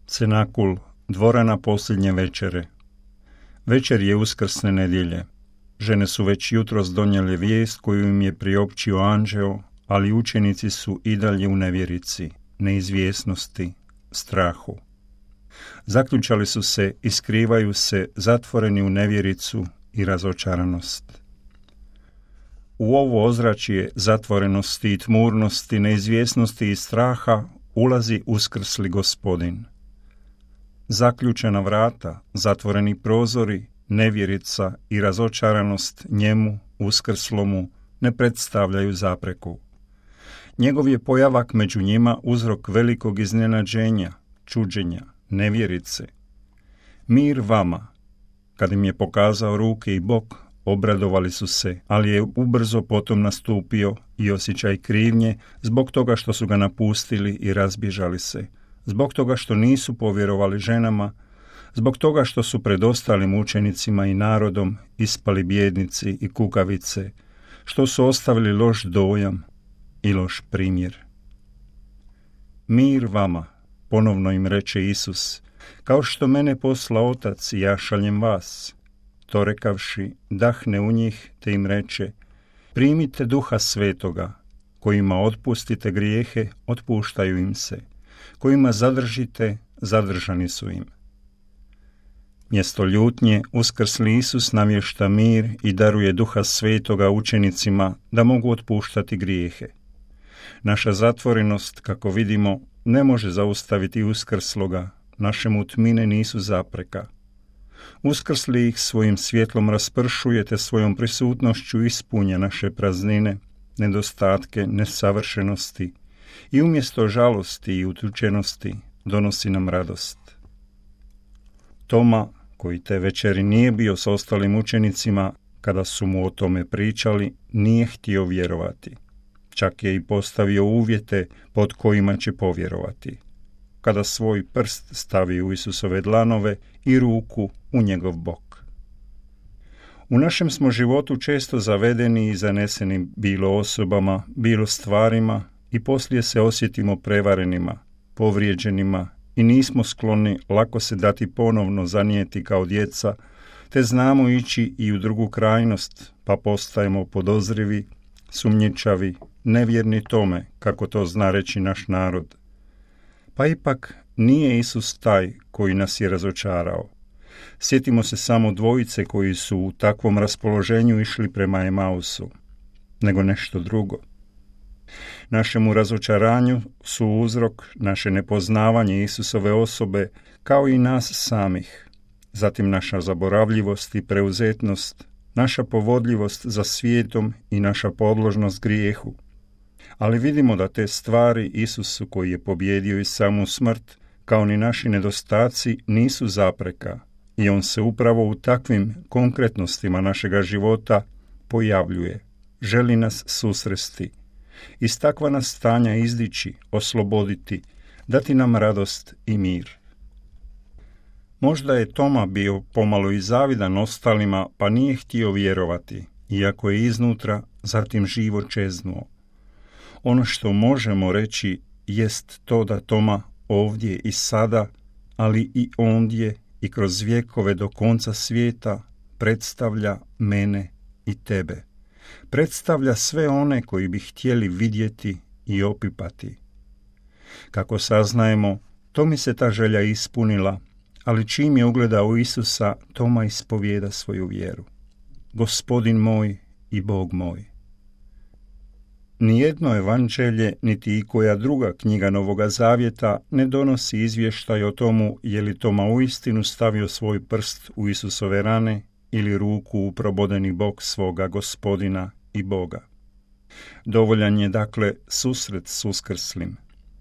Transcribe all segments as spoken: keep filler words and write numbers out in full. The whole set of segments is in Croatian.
Cenakul, dvorana posljednje večere. Večer je uskrsne nedjelje. Žene su već jutros donijele vijest koju im je priopćio anđeo, ali učenici su i dalje u nevjerici, neizvjesnosti, strahu. Zaključali su se i skrivaju se zatvoreni u nevjericu i razočaranost. U ovo ozračje zatvorenosti i tmurnosti, neizvjesnosti i straha ulazi uskrsli Gospodin. Zaključena vrata, zatvoreni prozori, nevjerica i razočaranost njemu, uskrslomu, ne predstavljaju zapreku. Njegov je pojavak među njima uzrok velikog iznenađenja, čuđenja, nevjerice. Mir vama. Kad im je pokazao ruke i bok, obradovali su se, ali je ubrzo potom nastupio i osjećaj krivnje zbog toga što su ga napustili i razbježali se, zbog toga što nisu povjerovali ženama, zbog toga što su pred ostalim učenicima i narodom ispali bijednici i kukavice, što su ostavili loš dojam i loš primjer. Mir vama, ponovno im reče Isus, kao što mene posla Otac i ja šaljem vas. To rekavši, dahne u njih te im reče, primite Duha Svetoga, kojima otpustite grijehe, otpuštaju im se, kojima zadržite, zadržani su im. Mjesto ljutnje uskrsli Isus navješta mir i daruje Duha Svetoga učenicima da mogu otpuštati grijehe. Naša zatvorenost, kako vidimo, ne može zaustaviti uskrsloga, naše mutmine nisu zapreka. Uskrsli ih svojim svjetlom raspršujete, svojom prisutnošću ispunja naše praznine, nedostatke, nesavršenosti i umjesto žalosti i utučenosti donosi nam radost. Toma, koji te večeri nije bio s ostalim učenicima, kada su mu o tome pričali, nije htio vjerovati. Čak je i postavio uvjete pod kojima će povjerovati. Kada svoj prst stavi u Isusove dlanove i ruku u njegov bok. U našem smo životu često zavedeni i zaneseni bilo osobama, bilo stvarima i poslije se osjetimo prevarenima, povrijeđenima i nismo skloni lako se dati ponovno zanijeti kao djeca, te znamo ići i u drugu krajnost, pa postajemo podozrivi, sumnjičavi, nevjerni tome, kako to zna reći naš narod. Pa ipak nije Isus taj koji nas je razočarao. Sjetimo se samo dvojice koji su u takvom raspoloženju išli prema Emausu, nego nešto drugo. Našemu razočaranju su uzrok naše nepoznavanje Isusove osobe kao i nas samih, zatim naša zaboravljivost i preuzetnost, naša povodljivost za svijetom i naša podložnost grijehu. Ali vidimo da te stvari Isusu koji je pobjedio i samu smrt, kao ni naši nedostaci, nisu zapreka i on se upravo u takvim konkretnostima našega života pojavljuje, želi nas susresti, iz takva nas stanja izdići, osloboditi, dati nam radost i mir. Možda je Toma bio pomalo i zavidan ostalima, pa nije htio vjerovati, iako je iznutra zatim živo čeznuo. Ono što možemo reći jest to da Toma ovdje i sada, ali i ondje i kroz vjekove do konca svijeta predstavlja mene i tebe. Predstavlja sve one koji bi htjeli vidjeti i opipati. Kako saznajemo, Tomi se ta želja ispunila, ali čim je ugledao Isusa, Toma ispovijeda svoju vjeru. Gospodin moj i Bog moj. Nijedno evanđelje, niti i koja druga knjiga Novoga Zavjeta ne donosi izvještaj o tomu je li Toma uistinu stavio svoj prst u Isusove rane ili ruku u probodeni bok svoga Gospodina i Boga. Dovoljan je dakle susret s uskrslim,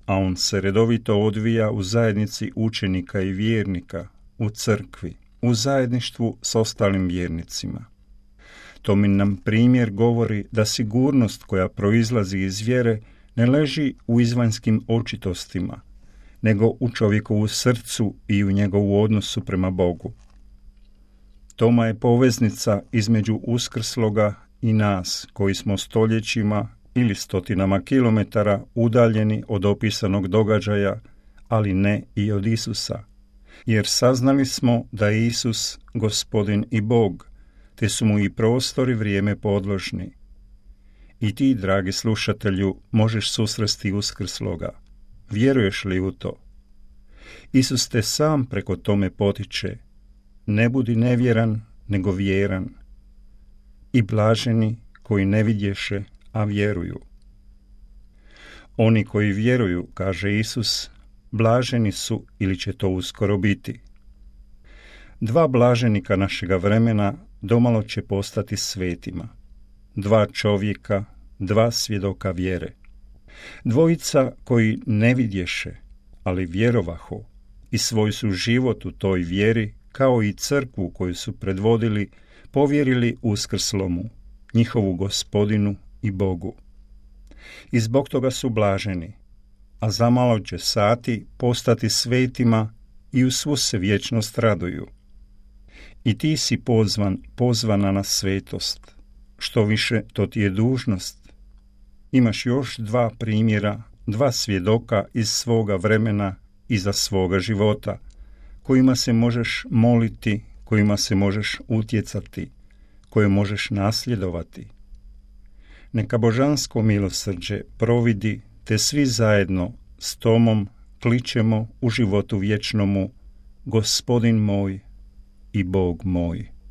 a on se redovito odvija u zajednici učenika i vjernika, u crkvi, u zajedništvu s ostalim vjernicima. Tomin nam primjer govori da sigurnost koja proizlazi iz vjere ne leži u izvanjskim očitostima, nego u čovjekovu srcu i u njegovu odnosu prema Bogu. Toma je poveznica između uskrsloga i nas, koji smo stoljećima ili stotinama kilometara udaljeni od opisanog događaja, ali ne i od Isusa, jer saznali smo da je Isus Gospodin i Bog, te su mu i prostor i vrijeme podložni. I ti, dragi slušatelju, možeš susresti uskrsloga. Vjeruješ li u to? Isus te sam preko tome potiče. Ne budi nevjeran, nego vjeran. I blaženi koji ne vidješe, a vjeruju. Oni koji vjeruju, kaže Isus, blaženi su ili će to uskoro biti. Dva blaženika našega vremena domalo će postati svetima. Dva čovjeka, dva svjedoka vjere. Dvojica koji ne vidješe, ali vjerovaho, i svoj su život u toj vjeri, kao i crkvu koju su predvodili, povjerili uskrslomu, njihovu Gospodinu i Bogu. I zbog toga su blaženi, a zamalo će sati postati svetima i u svu se vječnost raduju. I ti si pozvan, pozvana na svetost. Što više, to ti je dužnost. Imaš još dva primjera, dva svjedoka iz svoga vremena i za svoga života, kojima se možeš moliti, kojima se možeš utjecati, koje možeš nasljedovati. Neka božansko milosrđe providi, te svi zajedno s Tomom kličemo u životu vječnomu: Gospodin moj i Bog moj.